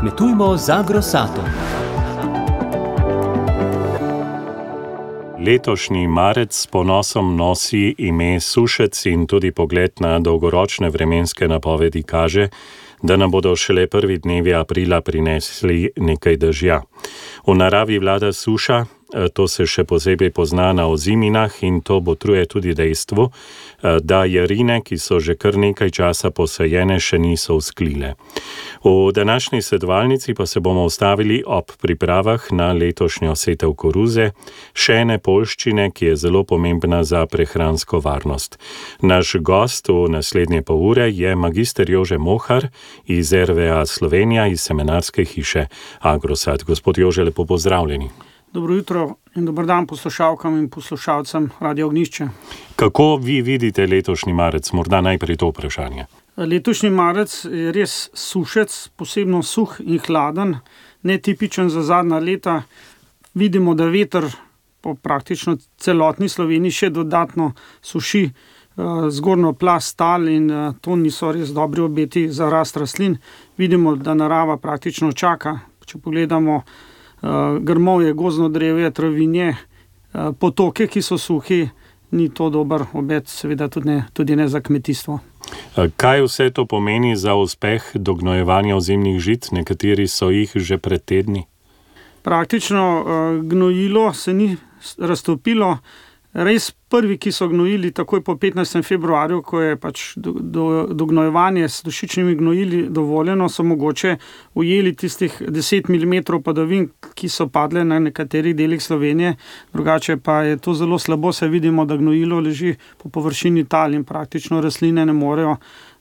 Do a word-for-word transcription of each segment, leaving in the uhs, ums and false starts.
Kmetujmo z Agrosatom. Letošnji marec s ponosom nosi ime Sušec in tudi pogled na dolgoročne vremenske napovedi kaže, da nam bodo šele prvi dnevi aprila prinesli nekaj dežja. V naravi vlada suša, to se še posebej pozna na oziminah in to botruje tudi dejstvu, da jarine, ki so že kar nekaj časa posajene, še niso vzklile. V današnji svetovalnici pa se bomo ustavili ob pripravah na letošnjo setev koruze, še ene poljščine, ki je zelo pomembna za prehransko varnost. Naš gost v naslednje pol ure je magister Jože Mohar iz R V A Slovenija, iz semenarske hiše Agrosat. Gospod Jože, lepo pozdravljeni. Dobro jutro in dober dan poslušalkam in poslušalcem Radio Ognjišče. Kako vi vidite letošnji marec? Morda najprej to vprašanje. Letošnji marec je res sušec, posebno suh in hladen, netipičen za zadnja leta. Vidimo, da veter po praktično celotni Sloveniji še dodatno suši zgornjo plast tal in to niso res dobri obeti za rast rastlin. Vidimo, da narava praktično čaka, če pogledamo grmovje, gozdno drevje, travinje, potoke, ki so suhi, ni to dober obet, seveda tudi ne, tudi ne za kmetijstvo. Kaj vse to pomeni za uspeh dognojevanja ozimnih žit? Nekateri so jih že pred tedni. Praktično gnojilo se ni raztopilo. Res prvi, ki so gnojili takoj po petnajstem februarju, ko je pač do, do, dognojevanje s dušičnimi gnojili dovoljeno, so mogoče ujeli tistih deset milimetrov padavin, ki so padle na nekaterih delih Slovenije. Drugače pa je to zelo slabo, se vidimo, da gnojilo leži po površini tal in praktično rastline ne morejo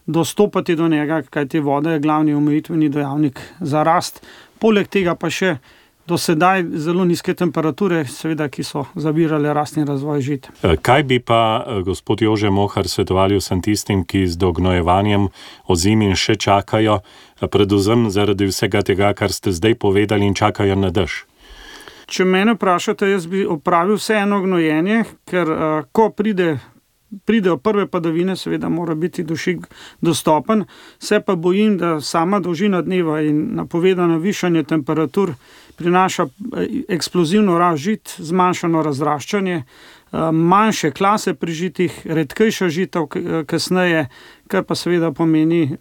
dostopati do njega, kajti voda je glavni omejitveni dejavnik za rast. Poleg tega pa še do sedaj zelo nizke temperature, seveda, ki so zavirale rast in razvoj žit. Kaj bi pa, gospod Jože Mohar, svetovali vsem tistim, ki z dognojevanjem ozimin še čakajo, predvsem zaradi vsega tega, kar ste zdaj povedali, in čakajo na dež? Če mene vprašate, jaz bi opravil vseeno gnojenje, ker ko pride pridejo prve padavine, seveda mora biti dušik dostopen, se pa bojim, da sama dolžina dneva in napovedano višanje temperatur prinaša eksplozivno rast žit, zmanjšano razraščanje, manjše klase pri žitih, redkejša žita kasneje, kar pa seveda pomeni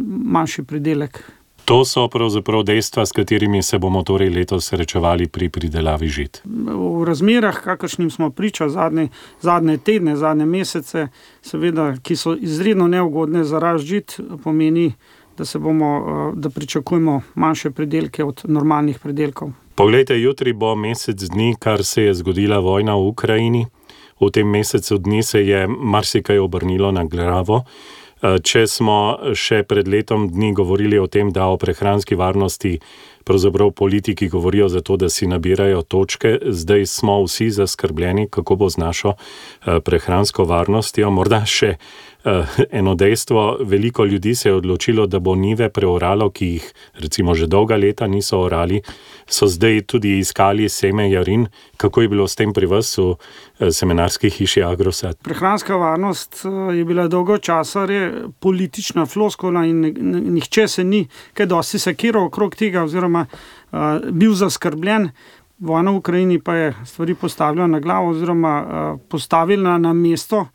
manjši pridelek. To so pravzaprav dejstva, s katerimi se bomo torej letos srečevali pri pridelavi žit. V razmerah, kakršnim smo priča zadnje, zadnje tedne, zadnje mesece, seveda, ki so izredno neugodne za rast žit, pomeni, da se bomo, da pričakujemo manjše pridelke od normalnih pridelkov. Poglejte, jutri bo mesec dni, kar se je zgodila vojna v Ukrajini. V tem mesecu dni se je marsikaj obrnilo na glavo. Če smo še pred letom dni govorili o tem, da o prehranski varnosti pravzaprav politiki govorijo zato, da si nabirajo točke, zdaj smo vsi zaskrbljeni, kako bo z našo prehransko varnostjo. Morda še eno dejstvo, veliko ljudi se je odločilo, da bo njive preoralo, ki jih recimo že dolga leta niso orali, so zdaj tudi iskali seme jarin. Kako je bilo s tem pri vas v semenarski hiši Agrosat? Prehranska varnost je bila dolgo časa politična floskula in nihče se ni kaj dosti sekiral okrog tega oziroma uh, bil zaskrbljen. Vojna v Ukrajini pa je stvari postavila na glavo oziroma uh, postavila na mesto,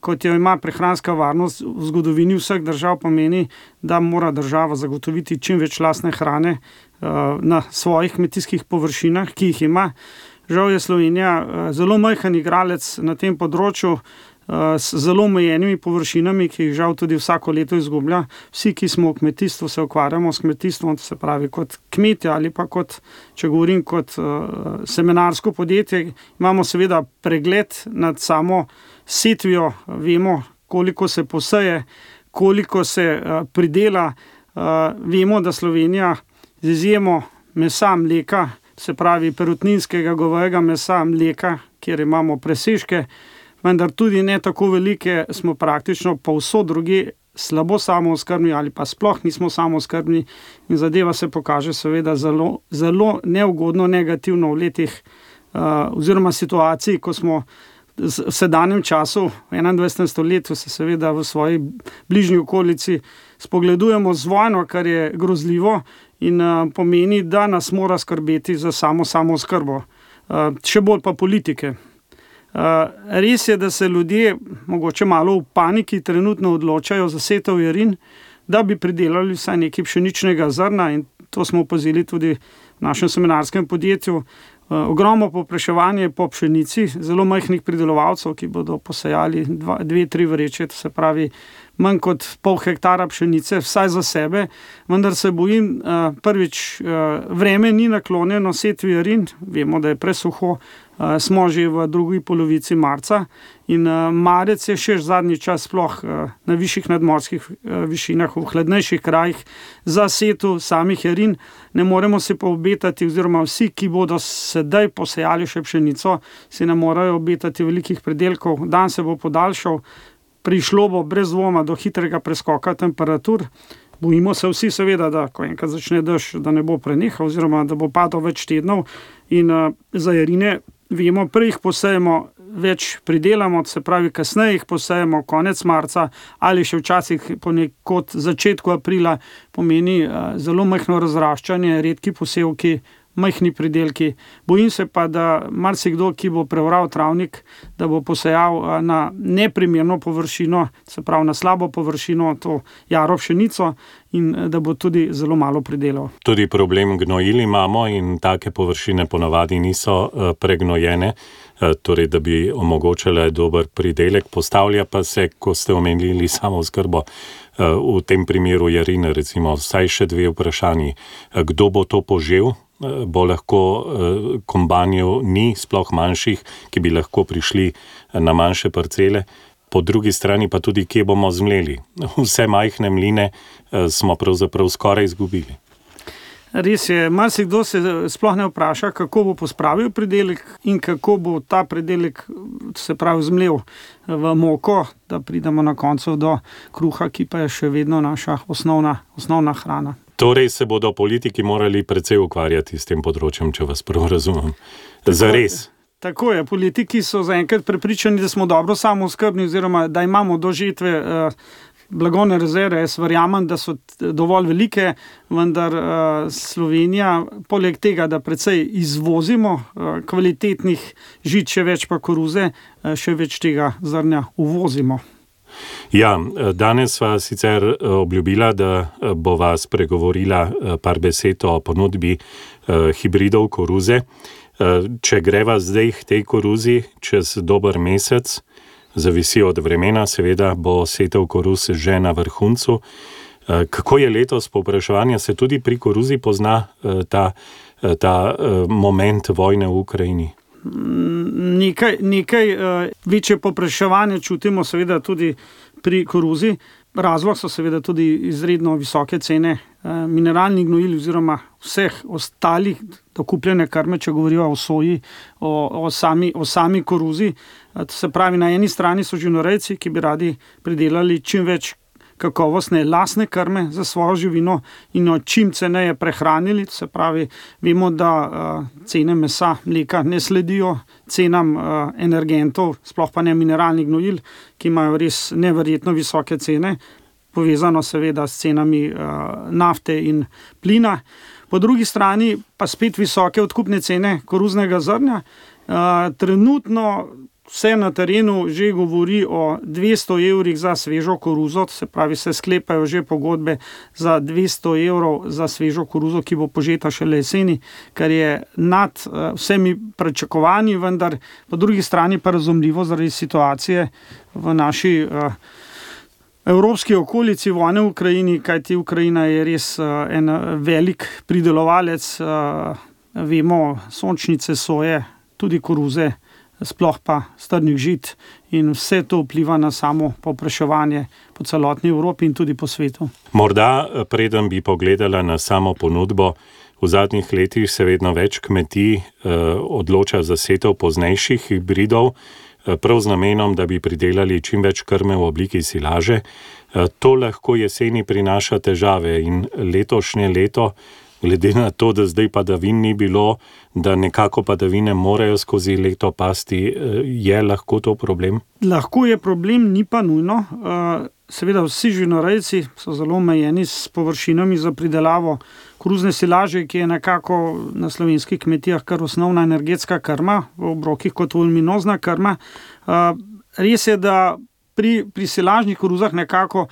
kot jo ima prehranska varnost v zgodovini vseh držav, pomeni, da mora država zagotoviti čim več lastne hrane uh, na svojih kmetijskih površinah, ki jih ima. Žal je Slovenija uh, zelo majhen igralec na tem področju, uh, s zelo omejenimi površinami, ki jih žal tudi vsako leto izgublja. Vsi, ki smo v kmetijstvu, se ukvarjamo s kmetijstvom, se pravi kot kmetje ali pa kot, če govorim kot uh, semenarsko podjetje, imamo seveda pregled nad samo setvijo, vemo, koliko se poseje, koliko se uh, pridela. Uh, vemo, da Slovenija z izjemo mesa, mleka, se pravi perutninskega, govejega mesa, mleka, kjer imamo presežke, vendar tudi ne tako velike, smo praktično povsod drugje slabo samooskrbni ali pa sploh nismo samooskrbni in zadeva se pokaže seveda zelo, zelo neugodno, negativno v letih uh, oziroma situaciji, ko smo v sedanjem času, v enaindvajsetem stoletju, se seveda v svoji bližnji okolici spogledujemo z vojno, kar je grozljivo in uh, pomeni, da nas mora skrbeti za samo samooskrbo. Uh, še bolj pa politike. Uh, res je, da se ljudje mogoče malo v paniki trenutno odločajo za setev jarin, da bi pridelali vsaj nekaj pšeničnega zrna, in to smo opazili tudi v našem semenarskem podjetju. Uh, ogromno povpraševanje po pšenici, zelo majhnih pridelovalcev, ki bodo posejali dva, dve, tri vreče, to se pravi manj kot pol hektara pšenice, vsaj za sebe, vendar se bojim, uh, prvič, uh, vreme ni naklonjeno setvi jarin, vemo, da je presuho, uh, smo že v drugi polovici marca in uh, marec je še zadnji čas sploh uh, na višjih nadmorskih uh, višinah, v hladnejših krajih za setu samih jarin. Ne moremo se pa obetati, oziroma vsi, ki bodo sedaj posejali še pšenico, si ne morajo obetati velikih pridelkov. Dan se bo podaljšal, prišlo bo brez dvoma do hitrega preskoka temperatur. Bojimo se vsi seveda, da ko enkrat začne dež, da ne bo prenehal, oziroma da bo padal več tednov, in uh, za jarine vemo, prej jih posejemo, več pridelamo, se pravi kasneje jih posejemo konec marca ali še včasih ponekod začetku aprila, pomeni uh, zelo majhno razraščanje, redki posevki, majhni pridelki. Bojim se pa, da marsikdo, ki bo preoral travnik, da bo posejal uh, na neprimerno površino, se pravi na slabo površino, to jaro pšenico, in uh, da bo tudi zelo malo pridelal. Tudi problem gnojil imamo in take površine ponavadi niso uh, pregnojene, torej da bi omogočale dober pridelek. Postavlja pa se, ko ste omenili samooskrbo, v tem primeru jarine, recimo vsaj še dve vprašanji. Kdo bo to požel? Bo lahko kombanjev ni, sploh manjših, ki bi lahko prišli na manjše parcele. Po drugi strani pa tudi, kje bomo zmleli. Vse majhne mline smo pravzaprav skoraj izgubili. Res je, marsikdo se sploh ne vpraša, kako bo pospravil pridelek in kako bo ta pridelek, se pravi, zmlel v moko, da pridemo na koncu do kruha, ki pa je še vedno naša osnovna, osnovna hrana. Torej se bodo politiki morali precej ukvarjati s tem področjem, če vas prav razumem. Zares. Tako je, politiki so zaenkrat prepričani, da smo dobro samooskrbni, oziroma da imamo do žetve uh, blagovne rezerve. Jaz verjamem, da so dovolj velike, vendar uh, Slovenija, poleg tega, da precej izvozimo uh, kvalitetnih žit, še več pa koruze, uh, še več tega zrnja uvozimo. Ja, danes sva sicer obljubila, da bova spregovorila par besed o ponudbi uh, hibridov koruze. Uh, če greva zdaj k tej koruzi, čez dober mesec, zavisi od vremena, seveda bo setev koruz že na vrhuncu. Uh, kako je letos povpraševanje? Se tudi pri koruzi pozna uh, ta, uh, ta uh, moment vojne v Ukrajini? Nekaj, nekaj uh, večje povpraševanje čutimo seveda tudi pri koruzi. Razlog so seveda tudi izredno visoke cene uh, mineralnih gnojil oziroma vseh ostalih dokupljene krme, če govorijo o soji, o, o, sami, o sami koruzi. Uh, to se pravi, na eni strani so živinorejci, ki bi radi pridelali čim več kakovostne lastne krme za svojo živino in jo čim ceneje prehranili. To se pravi, vemo, da uh, cene mesa, mleka ne sledijo cenam uh, energentov, sploh pa ne mineralnih gnojil, ki imajo res neverjetno visoke cene, povezano seveda s cenami uh, nafte in plina. Po drugi strani pa spet visoke odkupne cene koruznega zrnja. Uh, trenutno vse na terenu že govori o dvesto evrih za svežo koruzo, se pravi, se sklepajo že pogodbe za dvesto evrov za svežo koruzo, ki bo požeta šele jeseni, kar je nad uh, vsemi pričakovanji, vendar po drugi strani pa razumljivo zaradi situacije v naši uh, evropski okolici, vojne v Ukrajini, kajti Ukrajina je res uh, en velik pridelovalec, uh, vemo, sončnice, soje, tudi koruze, sploh pa strnih žit, in vse to vpliva na samo povpraševanje po celotni Evropi in tudi po svetu. Morda, preden bi pogledala na samo ponudbo, v zadnjih letih se vedno več kmetij eh, odloča za setev poznejših hibridov, eh, prav z namenom, da bi pridelali čim več krme v obliki silaže. Eh, to lahko jeseni prinaša težave in letošnje leto glede na to, da zdaj padavin ni bilo, da nekako padavine morajo skozi leto pasti, je lahko to problem? Lahko je problem, ni pa nujno. Seveda vsi živinorejci so zelo omejeni s površinami za pridelavo koruzne silaže, ki je nekako na slovenskih kmetijah kar osnovna energetska krma, v obrokih kot voluminozna krma. Res je, da pri, pri silažnih koruzah nekako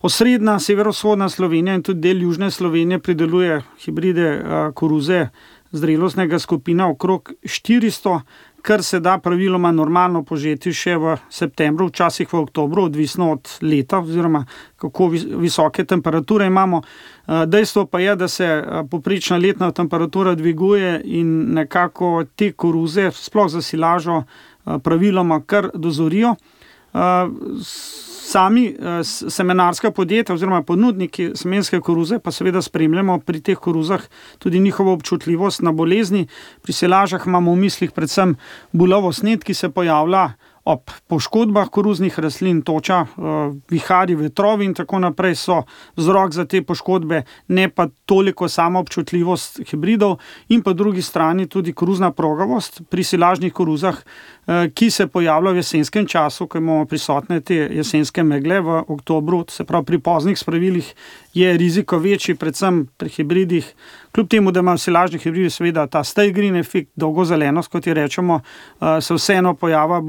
osrednja, severovzhodna Slovenija in tudi del južne Slovenije prideluje hibride koruze zrelostnega skupina okrog štiristo, kar se da praviloma normalno požeti še v septembru, včasih v oktobru, odvisno od leta oziroma kako visoke temperature imamo. Dejstvo pa je, da se povprečna letna temperatura dviguje in nekako te koruze, sploh za silažo, praviloma kar dozorijo. Sami semenarska podjetja oziroma ponudniki semenske koruze pa seveda spremljamo pri teh koruzah tudi njihovo občutljivost na bolezni. Pri silažah imamo v mislih predvsem bulovo snet, ki se pojavlja ob poškodbah koruznih rastlin, toča, vihari, vetrovi in tako naprej so vzrok za te poškodbe, ne pa toliko sama občutljivost hibridov in po drugi strani tudi koruzna progavost pri silažnih koruzah, ki se pojavlja v jesenskem času, ko imamo prisotne te jesenske megle v oktobru, se pravi pri poznih spravilih je riziko večji, predvsem pri hibridih, kljub temu, da ima silažni hibridi seveda ta stay green efekt, dolgozelenost, kot jo rečemo, se vseeno pojava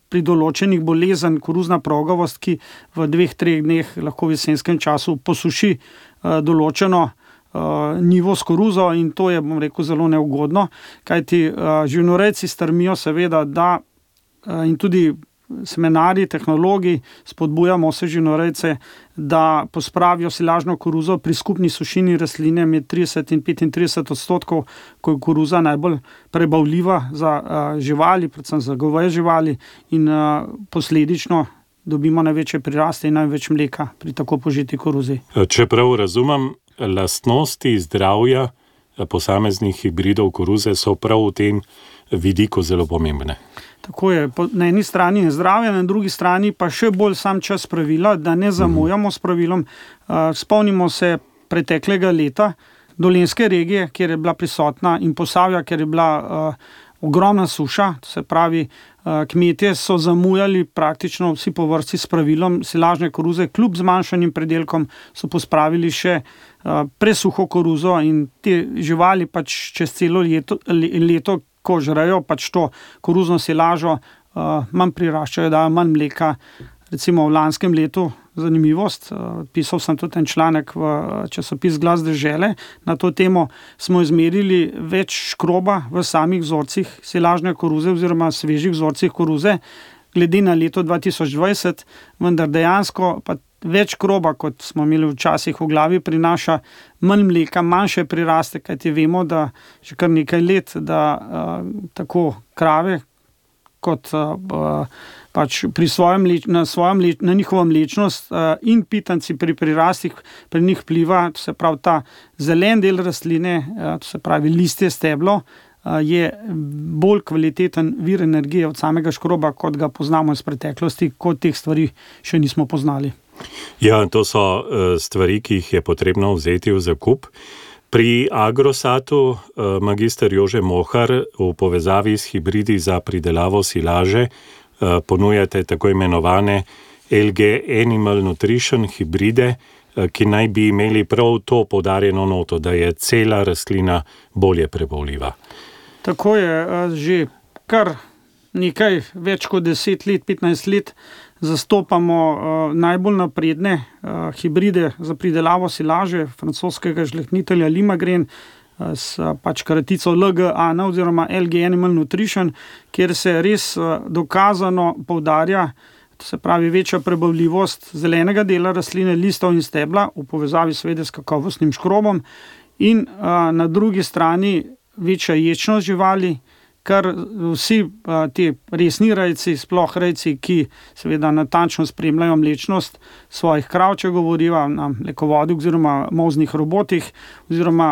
pri določenih bolezen koruzna progavost, ki v dveh, treh dneh lahko v jesenskem času posuši določeno nivo s koruzo in to je, bom rekel, zelo neugodno, kajti živinorejci strmijo seveda, da in tudi semenarji, tehnologi spodbujamo vse živinorejce, da pospravijo silažno koruzo pri skupni sušini rastline med trideset in petintrideset odstotkov, ko je koruza najbolj prebavljiva za živali, predvsem za goveje živali in posledično dobimo največje priraste in največ mleka pri tako požeti koruzi. Čeprav razumem, lastnosti zdravja posameznih hibridov koruze so prav v tem vidiku zelo pomembne. Tako je, na eni strani je zdravje, na drugi strani pa še bolj sam čas pravila, da ne zamujamo s pravilom. Spomnimo se preteklega leta, dolenjske regije, kjer je bila prisotna in Posavja, kjer je bila ogromna suša, to se pravi, kmetje so zamujali praktično vsi po vrsti s pravilom silažne koruze, kljub zmanjšanim predelkom so pospravili še presuho koruzo in te živali pač čez celo leto, leto ko žrejo pač to koruzno silažo, manj priraščajo, dajo manj mleka. Recimo v lanskem letu, zanimivost, pisal sem tudi en članek v časopis Glas dežele, na to temo smo izmerili več škroba v samih vzorcih silažne koruze oziroma svežih vzorcih koruze, glede na leto dva tisoč dvajset, vendar dejansko pa več kroba, kot smo imeli včasih v glavi, prinaša manj mleka, manjše priraste, kajti vemo, da že kar nekaj let, da uh, tako krave kot uh, pač pri svojem mleč, na, svojem mleč, na njihovo mlečnost uh, in pitanci pri prirastih pri njih vpliva, to se pravi ta zelen del rastline, uh, to se pravi listje, steblo, uh, je bolj kvaliteten vir energije od samega škroba, kot ga poznamo iz preteklosti, kot teh stvari še nismo poznali. Ja, to so stvari, ki jih je potrebno vzeti v zakup. Pri Agrosatu magister Jože Mohar v povezavi s hibridi za pridelavo silaže ponujate tako imenovane L G Animal Nutrition hibride, ki naj bi imeli prav to poudarjeno noto, da je cela rastlina bolje prebavljiva. Tako je, že kar nekaj, več kot deset let, petnajst let zastopamo uh, najbolj napredne uh, hibride za pridelavo silaže francoskega žlehnitelja Limagren uh, s pač kratico L G A N oziroma L G Animal Nutrition, kjer se res uh, dokazano poudarja, to se pravi večja prebavljivost zelenega dela rastline, listov in stebla v povezavi seveda s kakovostnim škrobom in uh, na drugi strani večja ječnost živali, kar vsi ti resni rejci, sploh rejci, ki seveda natančno spremljajo mlečnost svojih krav, če govorijo na mlekovodih oziroma molznih robotih, oziroma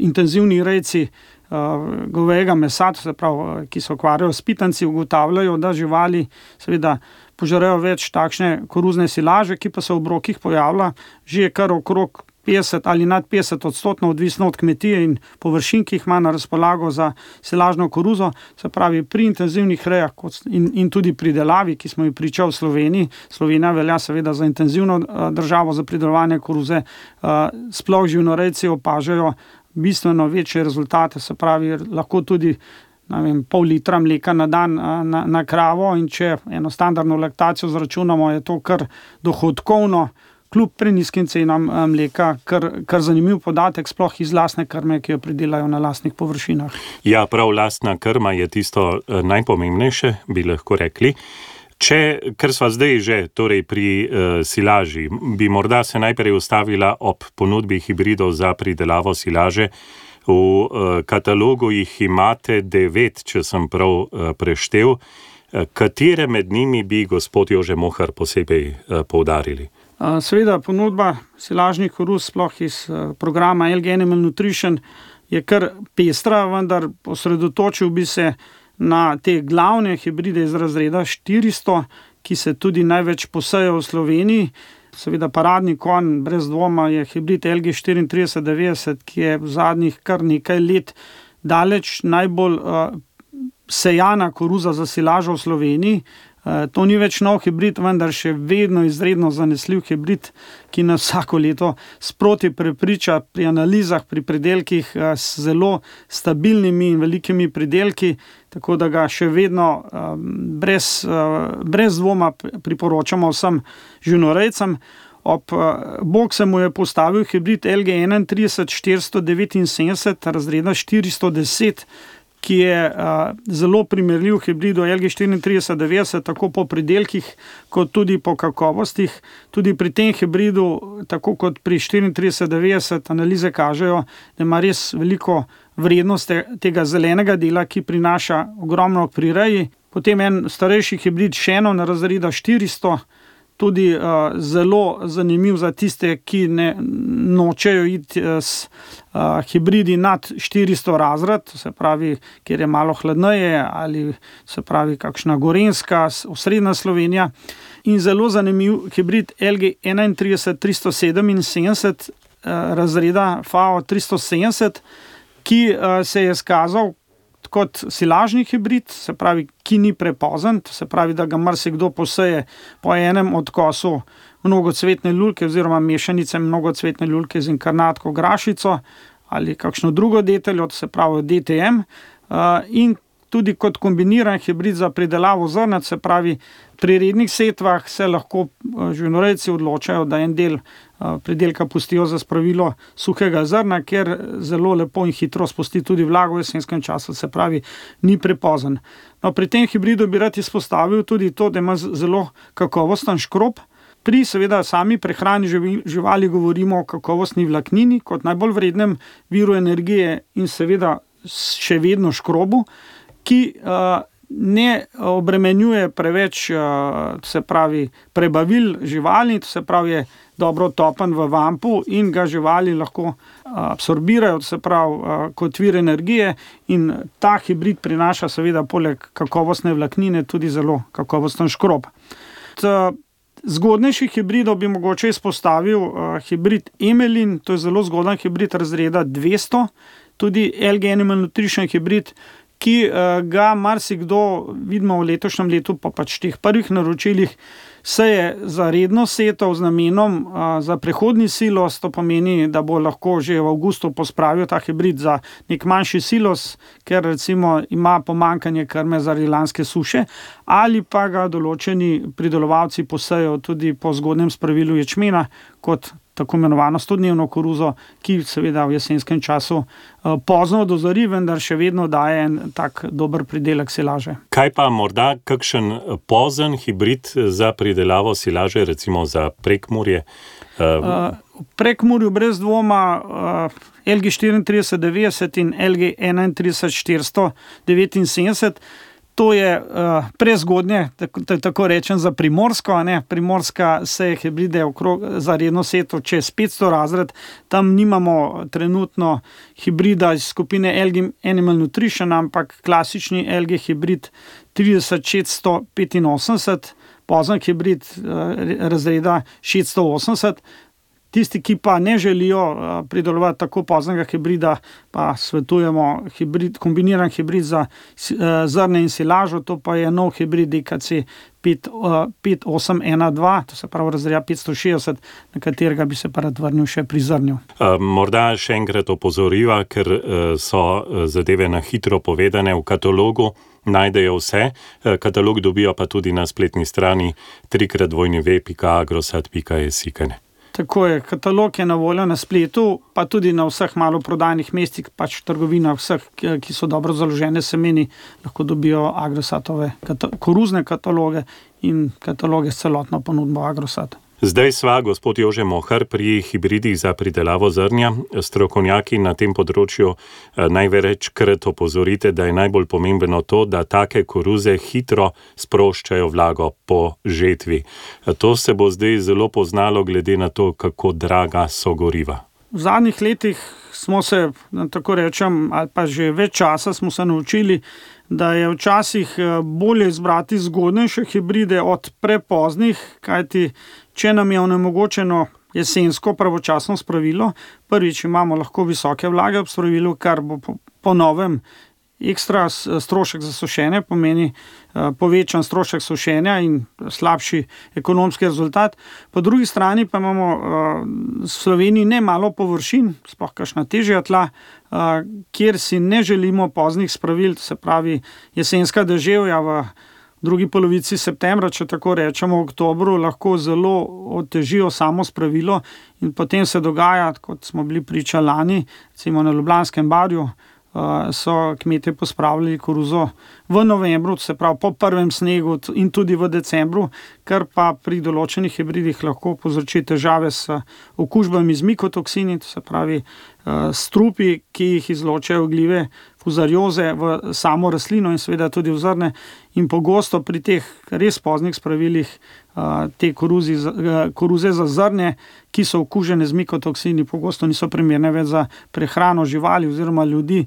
intenzivni rejci govejega mesa, to se pravi, ki se ukvarjajo s pitanci, ugotavljajo, da živali seveda požrejo več takšne koruzne silaže, ki pa se v obrokih pojavlja že kar okrog petdeset ali nad petdeset odstotno odvisno od kmetije in površin, ki jih ima na razpolago za silažno koruzo. Se pravi, pri intenzivnih rejah in, in tudi pridelavi, ki smo jih pričali v Sloveniji, Slovenija velja seveda za intenzivno državo za pridelovanje koruze, sploh živinorejci opažajo bistveno večje rezultate, se pravi, lahko tudi ne vem, pol litra mleka na dan na, na kravo, in če eno standardno laktacijo zračunamo, je to kar dohodkovno, kljub prenizkim cenam mleka, kar, kar zanimiv podatek, sploh iz lastne krme, ki jo pridelajo na lastnih površinah. Ja, prav lastna krma je tisto najpomembnejše, bi lahko rekli. Če, ker sva zdaj že torej pri uh, silaži, bi morda se najprej ustavila ob ponudbi hibridov za pridelavo silaže. V uh, katalogu jih imate devet, če sem prav uh, preštel. Uh, katere med njimi bi gospod Jože Mohar posebej uh, poudarili? Uh, seveda, ponudba silažnih koruz, sploh iz uh, programa L G Animal Nutrition, je kar pestra, vendar osredotočil bi se na te glavne hibride iz razreda štiristo, ki se tudi največ posejo v Sloveniji. Seveda paradni konj, brez dvoma, je hibrid L G štiriintrideset devetdeset, ki je v zadnjih kar nekaj let daleč najbolj uh, sejana koruza za silažo v Sloveniji. Uh, to ni več nov hibrid, vendar še vedno izredno zanesljiv hibrid, ki nas vsako leto sproti prepriča pri analizah, pri pridelkih uh, s zelo stabilnimi in velikimi pridelki, tako da ga še vedno um, brez, uh, brez dvoma priporočamo vsem živinorejcem. Ob uh, bok se mu je postavil hibrid L G enaintrideset štiristo devetinsedemdeset razreda štiristo deset, ki je uh, zelo primerljiv hibridu L G štiriintrideset devetdeset, tako po pridelkih, kot tudi po kakovostih. Tudi pri tem hibridu, tako kot pri štiriintrideset devetdeset, analize kažejo, da ima res veliko vrednost tega zelenega dela, ki prinaša ogromno pri reji. Potem en starejši hibrid Shannon razreda štiristo, tudi uh, zelo zanimiv za tiste, ki ne nočejo iti uh, s uh, hibridi nad štiristo razred, se pravi, kjer je malo hladneje, ali se pravi kakšna gorenjska, osrednja Slovenija. In zelo zanimiv hibrid L G enaintrideset tristo sedeminsedemdeset uh, razreda F A O tristo sedemdeset, ki uh, se je skazal kot silažni hibrid, se pravi, ki ni prepozen, se pravi, da ga marsikdo poseje po enem odkosu mnogocvetne lulke oziroma mešanice mnogocvetne lulke z inkarnatko grašico ali kakšno drugo deteljo, se pravi D T M, in tudi kot kombiniran hibrid za pridelavo zrnat, se pravi, pri rednih setvah se lahko živinorejci odločajo, da en del pridelka pustijo za spravilo suhega zrna, ker zelo lepo in hitro spusti tudi vlago v jesenskem času, se pravi, ni prepozen. No, pri tem hibridu bi rad izpostavil tudi to, da ima zelo kakovosten škrob. Pri seveda sami prehrani živali govorimo o kakovostni vlaknini kot najbolj vrednem viru energije in seveda še vedno škrobu, ki uh, ne obremenjuje preveč, uh, se pravi, prebavil živali, se pravi, je dobro topen v vampu in ga živali lahko uh, absorbirajo, se pravi, uh, kot vir energije, in ta hibrid prinaša seveda poleg kakovostne vlaknine tudi zelo kakovosten škrob. T, Zgodnejših hibridov bi mogoče izpostavil uh, hibrid Emelin, to je zelo zgoden hibrid razreda dvesto, tudi L G Animal Nutrition hibrid, ki uh, ga marsikdo vidimo v letošnjem letu, pa pač teh prvih naročilih, seje za redno setev z namenom uh, za prehodni silos, to pomeni, da bo lahko že v avgustu pospravil ta hibrid za nek manjši silos, ker recimo ima pomanjkanje krme zaradi lanske suše, ali pa ga določeni pridelovalci posejo tudi po zgodnem spravilu ječmena kot tako imenovano stodnevno koruzo, ki seveda v jesenskem času uh, pozno dozori, vendar še vedno daje en tak dober pridelek silaže. Kaj pa morda kakšen pozen hibrid za pridelavo silaže, recimo za Prekmurje? Uh, uh, v Prekmurju brez dvoma uh, L G štiriintrideset devetdeset in L G enaintrideset štiristo devetinsedemdeset. To je uh, prezgodnje, tako, tako rečem, za Primorsko. Ne? Primorska se hibride okrog, za redno setev čez petsto razred. Tam nimamo trenutno hibrida iz skupine L G Animal Nutrition, ampak klasični L G hibrid trideset šeststo petinosemdeset, pozen hibrid uh, razreda šeststo osemdeset. Tisti, ki pa ne želijo pridelovati tako poznega hibrida, pa svetujemo hibrid, kombiniran hibrid za zrne in silažo, to pa je nov hibrid D K C pet osem ena dva, to se pravi razreda petsto šestdeset, na katerega bi se pa rad vrnil še pri zrnju. Morda še enkrat opozoriva, ker so zadeve na hitro povedane v katalogu, najdejo vse. Katalog dobijo pa tudi na spletni strani trikrat dvojni ve pika agrosat pika es. Tako je, katalog je na voljo na spletu, pa tudi na vseh maloprodajnih mestih, pač trgovinah vseh, ki so dobro založene semeni, lahko dobijo Agrosatove koruzne kataloge in kataloge s celotno ponudbo Agrosata. Zdaj sva, gospod Jože Mohar, pri hibridih za pridelavo zrnja. Strokovnjaki na tem področju največkrat opozorite, da je najbolj pomembno to, da take koruze hitro sproščajo vlago po žetvi. To se bo zdaj zelo poznalo glede na to, kako draga so goriva. V zadnjih letih smo se, tako rečem, ali pa že več časa smo se naučili, da je včasih bolje izbrati zgodnejše hibride od prepoznih, kajti če nam je onemogočeno jesensko pravočasno spravilo, prvič imamo lahko visoke vlage ob spravilu, kar bo po, po novem ekstra strošek za sušenje, pomeni povečan strošek sušenja in slabši ekonomski rezultat. Po drugi strani pa imamo v Sloveniji ne malo površin, sploh kakšna težja tla, kjer si ne želimo poznih spravil, se pravi jesenska deževja v drugi polovici septembra, če tako rečemo, v oktobru, lahko zelo otežijo samo spravilo in potem se dogaja, kot smo bili priča lani, recimo na Ljubljanskem barju, so kmetje pospravljali koruzo v novembru, se pravi po prvem snegu in tudi v decembru, kar pa pri določenih hibridih lahko povzroči težave s okužbami z mikotoksini, to se pravi strupi, ki jih izločajo gljive fuzarioze v samo rastlino in seveda tudi v zrne, in pogosto pri teh res poznih spravilih te koruzi, koruze za zrnje, ki so okužene z mikotoksini, pogosto niso primerne več za prehrano živali oziroma ljudi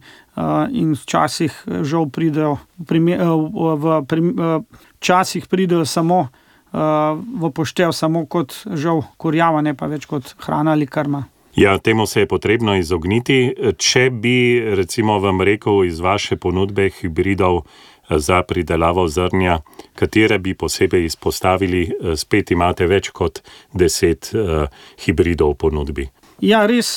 in včasih žal pridejo v včasih pridejo samo v poštev samo kot žal kurjava, ne pa več kot hrana ali krma. Ja, temu se je potrebno izogniti. Če bi, recimo, vam rekel iz vaše ponudbe hibridov za pridelavo zrnja, katere bi posebej izpostavili, spet imate več kot deset uh, hibridov v ponudbi. Ja, res,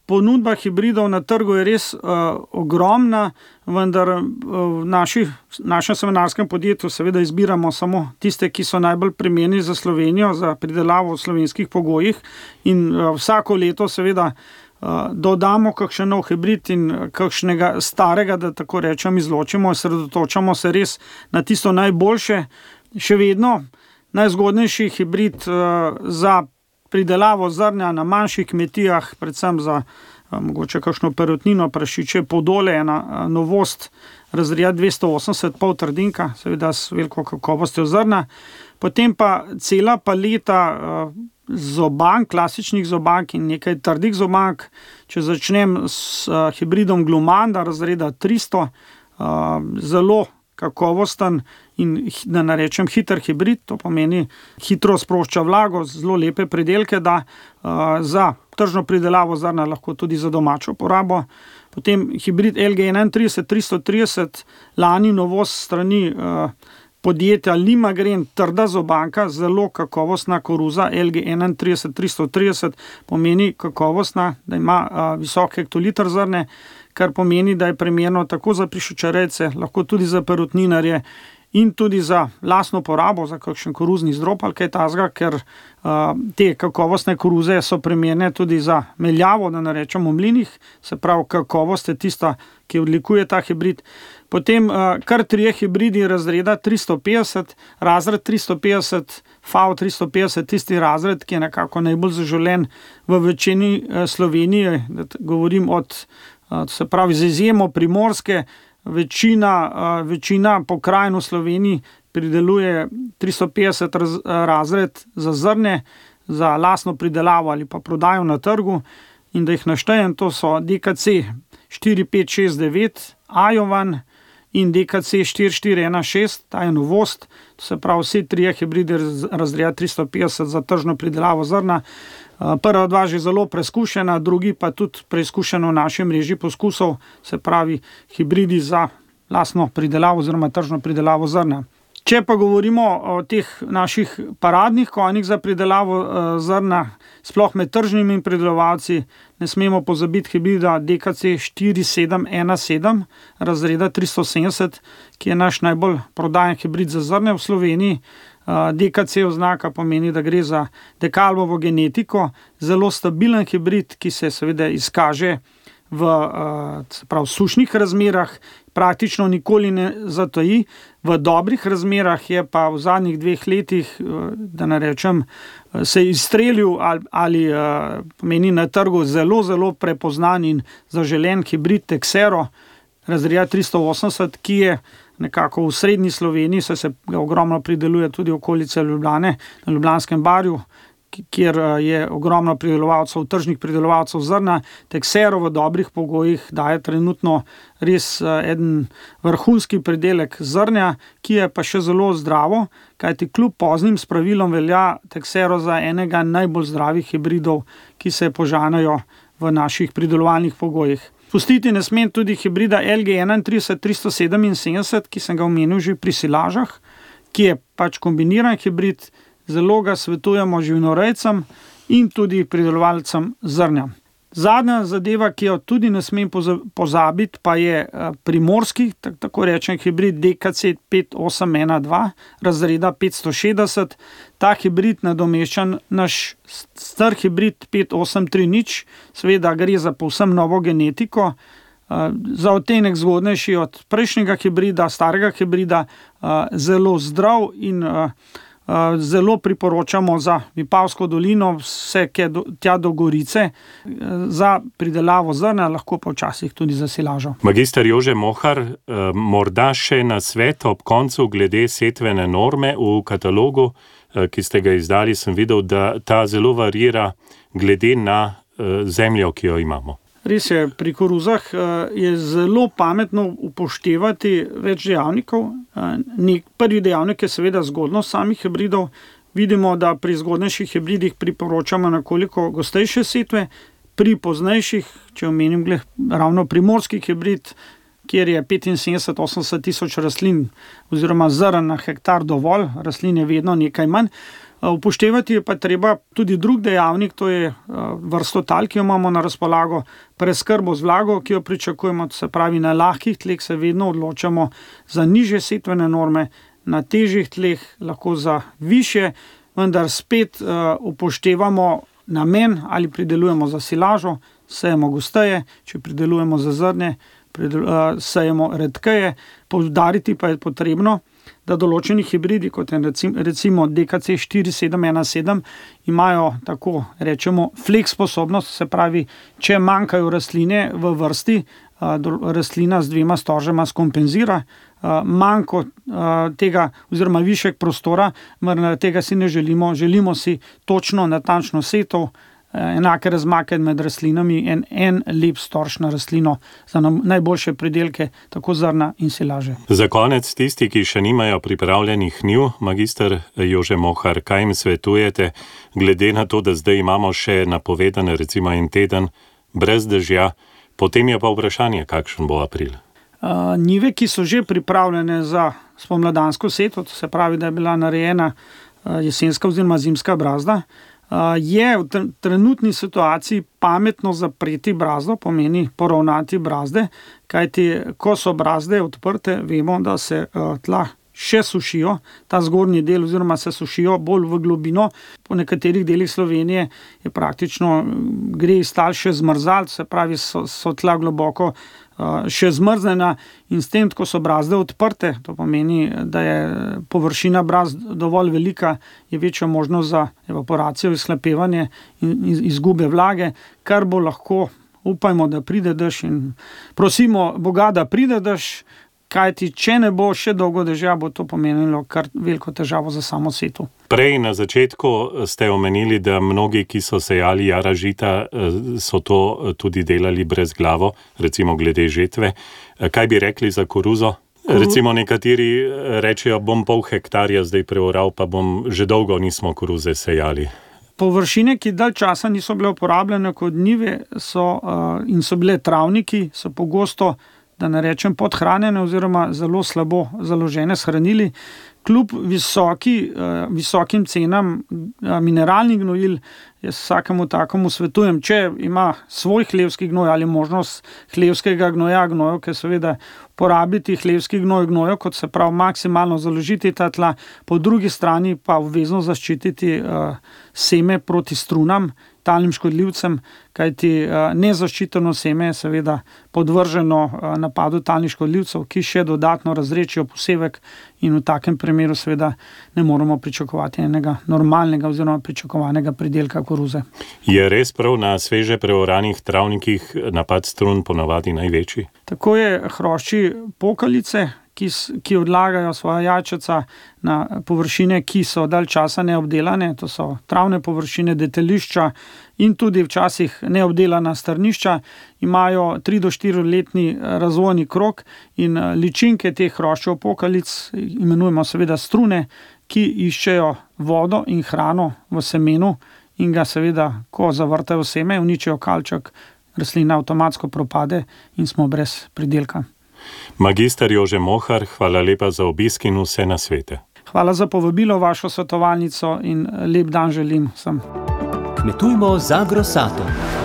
ponudba hibridov na trgu je res uh, ogromna, vendar v naši, našem semenarskem podjetju seveda izbiramo samo tiste, ki so najbolj primerni za Slovenijo, za pridelavo v slovenskih pogojih in uh, vsako leto seveda uh, dodamo kakšen nov hibrid in kakšnega starega, da tako rečem, izločimo, sredotočamo se res na tisto najboljše. Še vedno najzgodnejši hibrid uh, za pridelavo zrnja na manjših kmetijah, predvsem za a, mogoče kakšno perutnino, prašiče podole, ena a, novost razreda dvesto osemdeset pol trdinka, seveda s veliko kakovostjo zrna. Potem pa cela paleta a, zobank, klasičnih zobank in nekaj trdih zobank. Če začnem s a, hibridom Glumanda razreda tristo, a, zelo kakovosten in, da narečem, hiter hibrid, to pomeni hitro sprošča vlago, zelo lepe pridelke, da uh, za tržno pridelavo zrna, lahko tudi za domačo porabo. Potem hibrid L G enaintrideset tristo trideset, lani novost strani uh, podjetja Limagren, trda zobanka, zelo kakovostna koruza L G enaintrideset tristo trideset, pomeni kakovostna, da ima uh, visok hektoliter zrne, kar pomeni, da je primerno tako za prišočarejce, lahko tudi za perutninarje in tudi za lastno porabo, za kakšen koruzni zdrop ali kaj takega, ker uh, te kakovostne koruze so primerne tudi za meljavo, da narečemo v mlinih, se pravi kakovost je tista, ki odlikuje ta hibrid. Potem uh, kar trije hibridi razreda tristo petdeset, razred tristo petdeset, F A V tristo petdeset, tisti razred, ki je nekako najbolj zaželen v večini uh, Slovenije, da govorim od, uh, se pravi z izjemo Primorske, večina, uh, večina pokrajin v Sloveniji prideluje tristo petdeset raz, razred za zrne, za lastno pridelavo ali pa prodajo na trgu, in da jih naštejem, to so D K C štiri pet šest devet, Ajovan in D K C štiri štiri ena šest, ta je novost, to se pravi vsi trije hibridi razreda tristo petdeset za tržno pridelavo zrna. Prva dva že zelo preizkušena, drugi pa tudi preizkušeno v naši mreži poskusov, se pravi hibridi za lastno pridelavo oziroma tržno pridelavo zrna. Če pa govorimo o teh naših paradnih konjih za pridelavo zrna, sploh med tržnimi pridelovalci, ne smemo pozabiti hibrida D K C štiri sedem ena sedem razreda tristo sedemdeset, ki je naš najbolj prodajen hibrid za zrne v Sloveniji. D K C oznaka pomeni, da gre za dekalbovo genetiko, zelo stabilen hibrid, ki se seveda izkaže v prav, sušnih razmerah, praktično nikoli ne zatoji. V dobrih razmerah je pa v zadnjih dveh letih, da ne rečem, se je izstrelil ali, ali pomeni na trgu zelo, zelo prepoznan in zaželen hibrid Texero razreda tristo osemdeset, ki je nekako v srednji Sloveniji, saj se ga ogromno prideluje tudi okolice Ljubljane, na Ljubljanskem barju, kjer je ogromno pridelovalcev, tržnih pridelovalcev zrna. Texero v dobrih pogojih daje trenutno res eden vrhunski pridelek zrnja, ki je pa še zelo zdravo, kajti kljub poznim spravilom velja Texero za enega najbolj zdravih hibridov, ki se požanajo v naših pridelovalnih pogojih. Pustiti ne smem tudi hibrida L G enaintrideset tristo sedeminsedemdeset, ki sem ga omenil že pri silažah, ki je pač kombiniran hibrid. Zelo ga svetujemo živinorejcem in tudi pridelovalcem zrnja. Zadnja zadeva, ki jo tudi ne smem pozabiti, pa je primorski, tako rečen hibrid D K C pet osem ena dva razreda petsto šestdeset. Ta hibrid nadomešča naš star hibrid pet osem tri nič, seveda gre za povsem novo genetiko, za odtenek zgodnejši od prejšnjega hibrida, starega hibrida, zelo zdrav in zelo priporočamo za Vipavsko dolino, vse tja do Gorice, za pridelavo zrna, lahko pa včasih tudi za silažo. Magister Jože Mohar, morda še na svet ob koncu glede setvene norme v katalogu, ki ste ga izdali, sem videl, da ta zelo varira glede na zemljo, ki jo imamo. Res je, pri koruzah je zelo pametno upoštevati več dejavnikov. Prvi dejavnik je seveda zgodnost samih hibridov. Vidimo, da pri zgodnejših hibridih priporočamo nekoliko gostejše setve, pri poznejših, če omenim glih, ravno primorski hibrid, kjer je petinsedemdeset do osemdeset tisoč rastlin oziroma zrn na hektar dovolj, rastlin je vedno nekaj manj. Upoštevati je pa treba tudi drug dejavnik, to je vrsto tal, ki jo imamo na razpolago, preskrbo z vlago, ki jo pričakujemo, se pravi na lahkih tleh se vedno odločamo za nižje setvene norme, na težjih tleh lahko za višje, vendar spet upoštevamo namen, ali pridelujemo za silažo, sejemo gosteje, če pridelujemo za zrnje, sejemo redkeje. Poudariti pa je potrebno, da določeni hibridi, kot je recimo D K C štiri sedem ena sedem, imajo tako rečemo flex sposobnost, se pravi, če manjkajo rastline v vrsti, rastlina z dvema storžema skompenzira manjko tega oziroma višek prostora, mar tega si ne želimo, želimo si točno, natančno setov, enake razmake med rastlinami in en lep storž na rastlino za najboljše pridelke, tako zrna in silaže. Za konec tisti, ki še nimajo pripravljenih njiv, magister Jože Mohar, kaj jim svetujete, glede na to, da zdaj imamo še napovedan recimo en teden brez dežja, potem je pa vprašanje, kakšen bo april. Uh, njive, ki so že pripravljene za spomladansko seto, to se pravi, da je bila narejena uh, jesenska oziroma zimska brazda, je v trenutni situaciji pametno zapreti brazdo, pomeni poravnati brazde, kajti ko so brazde odprte, vemo, da se tla še sušijo, ta zgornji del oziroma se sušijo bolj v globino. Po nekaterih delih Slovenije je praktično gre iz tal še zmrzal, se pravi, so, so tla globoko še zmrznjena in s tem, ko so brazde odprte, to pomeni, da je površina brazd dovolj velika, je večja možnost za evaporacijo, izhlapevanje in izgube vlage, kar bo lahko, upajmo, da pride dež in prosimo Boga, da pride dež, kajti če ne bo še dolgo dežja, bo to pomenilo kar veliko težavo za samo setu. Prej na začetku ste omenili, da mnogi, ki so sejali jara žita, so to tudi delali brez glavo, recimo glede žetve. Kaj bi rekli za koruzo? Recimo nekateri rečejo, bom pol hektarja zdaj preoral, pa bom že dolgo nismo koruze sejali. Površine, ki dalj časa niso bile uporabljene kot njive so, uh, in so bile travniki, so pogosto, da ne rečem, podhranjene oziroma zelo slabo založene s hranili. Kljub visoki, uh, visokim cenam uh, mineralnih gnojil, jaz vsakemu takemu svetujem, če ima svoj hlevski gnoj ali možnost hlevskega gnoja, gnojev, ker seveda porabiti hlevski gnoj, gnojev, kot se pravi, maksimalno založiti ta tla, po drugi strani pa obvezno zaščititi uh, seme proti strunam, talnim škodljivcem, kajti uh, nezaščiteno seme je seveda podvrženo uh, napadu talnih škodljivcev, ki še dodatno razrečijo posevek in v takem primeru seveda ne moremo pričakovati enega normalnega oziroma pričakovanega pridelka koruze. Je res prav na sveže preoranih travnikih napad strun ponavadi največji? Tako je hrošči pokalice, ki, ki odlagajo svoja jajčeca na površine, ki so dalj časa neobdelane, to so travne površine, detelišča in tudi včasih neobdelana strnišča, imajo tri do štiri letni razvojni krog in ličinke teh hroščev pokalic imenujemo seveda strune, ki iščejo vodo in hrano v semenu in ga seveda, ko zavrtajo seme, uničijo kalček, rastlina avtomatsko propade in smo brez pridelka. Magister Jože Mohar, hvala lepa za obisk in vse nasvete. Hvala za povabilo v vašo svetovalnico in lep dan želim vsem. Kmetujmo z Agrosatom.